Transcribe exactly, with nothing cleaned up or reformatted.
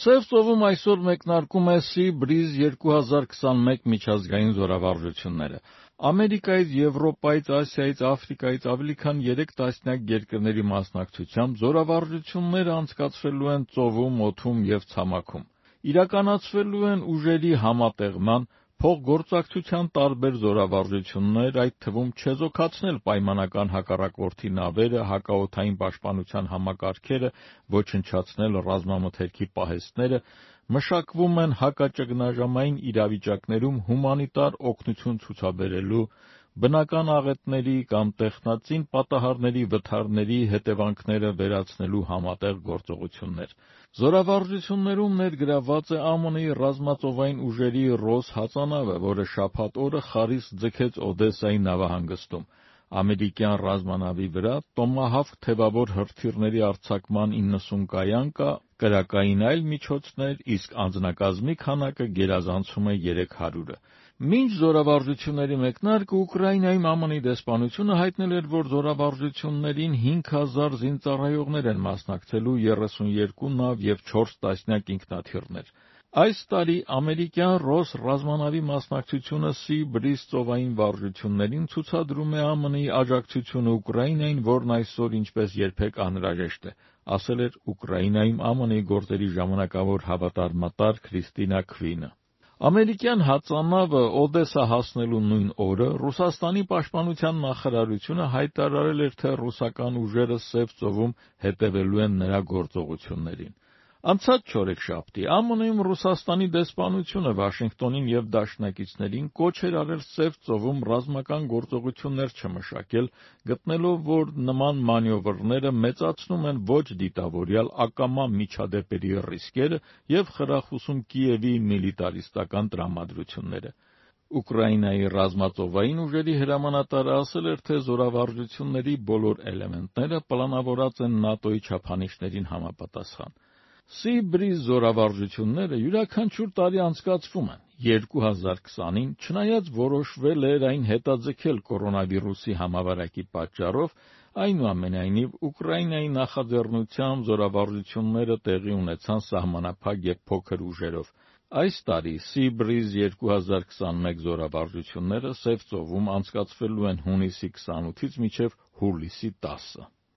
Սև ծովում այսօր մեկնարկում է Sea Breeze երկու հազար քսանմեկ միջազգային զորավարժությունները։ Ամերիկայից, Եվրոպայից, Ասիայից, Աֆրիկայից ավելի քան երեք տասնյակ երկրների մասնակցությամբ զորավարժությունները անցկացվելու են ծովում, օդում և ցամաքում։ Իրականացվելու են ուժերի համատեղման, փոխգործակցության տարբեր զորավարժություններ, այդ թվում չեզոքացնել պայմանական հակառակորդի նավերը, հակաօդային պաշտպանության համակարգերը, ոչնչացնել ռազմամթերքի պահեստները, մշակվում են հակաճգնաժամային իրավիճակներում հումանիտար օգնություն ցուցաբերելու, բնական աղետների կամ տեխնածին պատահարների վթարների հետևանքները վերացնելու համատեղ գործողություններ։ Զորավարժություններում ներգրավված է ԱՄՆ-ի ռազմածովային ուժերի Ռոս հածանավը, որը շաբաթ օրը խարիսկ ձգեց Օդեսայի նավահանգստում։ Ամերիկյան ռազմանավի վրա Տոմահավք թևավոր հրթիռների արձակման իննսուն կայան կա, կրակային այլ միջոցներ, իսկ անձնակազմի քանակը գերազանցում է երեք հարյուրը։ Մինչ զորավարժությունների մեկնարկը Ուկրաինայում ԱՄՆ-ի դեսպանությունը հայտնել էր, որ զորավարժություններին հինգ հազար զինծառայողներ են մասնակցելու, երեսունյոթ նավ և չորս տասնյակ ինքնաթիռներ։ Այս տարի ամերիկյան Ռոս ռազմանավի մասնակցությունը Sea Breeze ծովային վարժություններին ցուցադրում է ԱՄՆ-ի աջակցությունը Ուկրաինային, որն այսօր ինչպես երբեք անհրաժեշտ է, ասել էր Ուկրաինայում ԱՄՆ-ի գործերի ժամանակավոր հավատարմատար Քրիստինա Քվինը։ Ամերիկյան հածանավը Օդեսա հասնելու նույն օրը Ռուսաստանի պաշտպանության նախարարությունը հայտարարել էր, թե ռուսական ուժերը Սև ծովում հետևելու են նրա գործողություններին։ Անցած չորեքշաբթի ԱՄՆ-ում Ռուսաստանի դեսպանությունը Վաշինգտոնին և դաշնակիցներին կոչ էր արել Սև ծովում ռազմական գործողություններ չմշակել, գտնելով, որ նման մանևրները մեծացնում են ոչ դիտավորյալ ակամա միջադեպերի ռիսկերը և խրախուսում Կիևի միլիտարիստական տրամադրությունները։ Ուկրաինայի ռազմածովային ուժերի հրամանատարը ասել էր, թե զորավարժությունների բոլոր էլեմենտները պլանավորված են ՆԱՏՕ-ի չափանիշներին համապատասխան։ Sea Breeze զորավարժությունները յուրաքանչյուր տարի անցկացվում են։ երկու հազար քսանին, չնայած որոշվել էր այն հետաձգել կորոնավիրուսի համավարակի պատճառով, այնուամենայնիվ Ուկրաինայի նախաձեռնությամբ զորավարժությունները տեղի ունեցան սահմանափակ և փոքր ուժերով։ Այս տարի Sea Breeze երկու հազար քսանմեկ զորավարժությունները Սև ծովում անցկացվելու են հունիսի քսանութից մինչև հուլիսի տասը։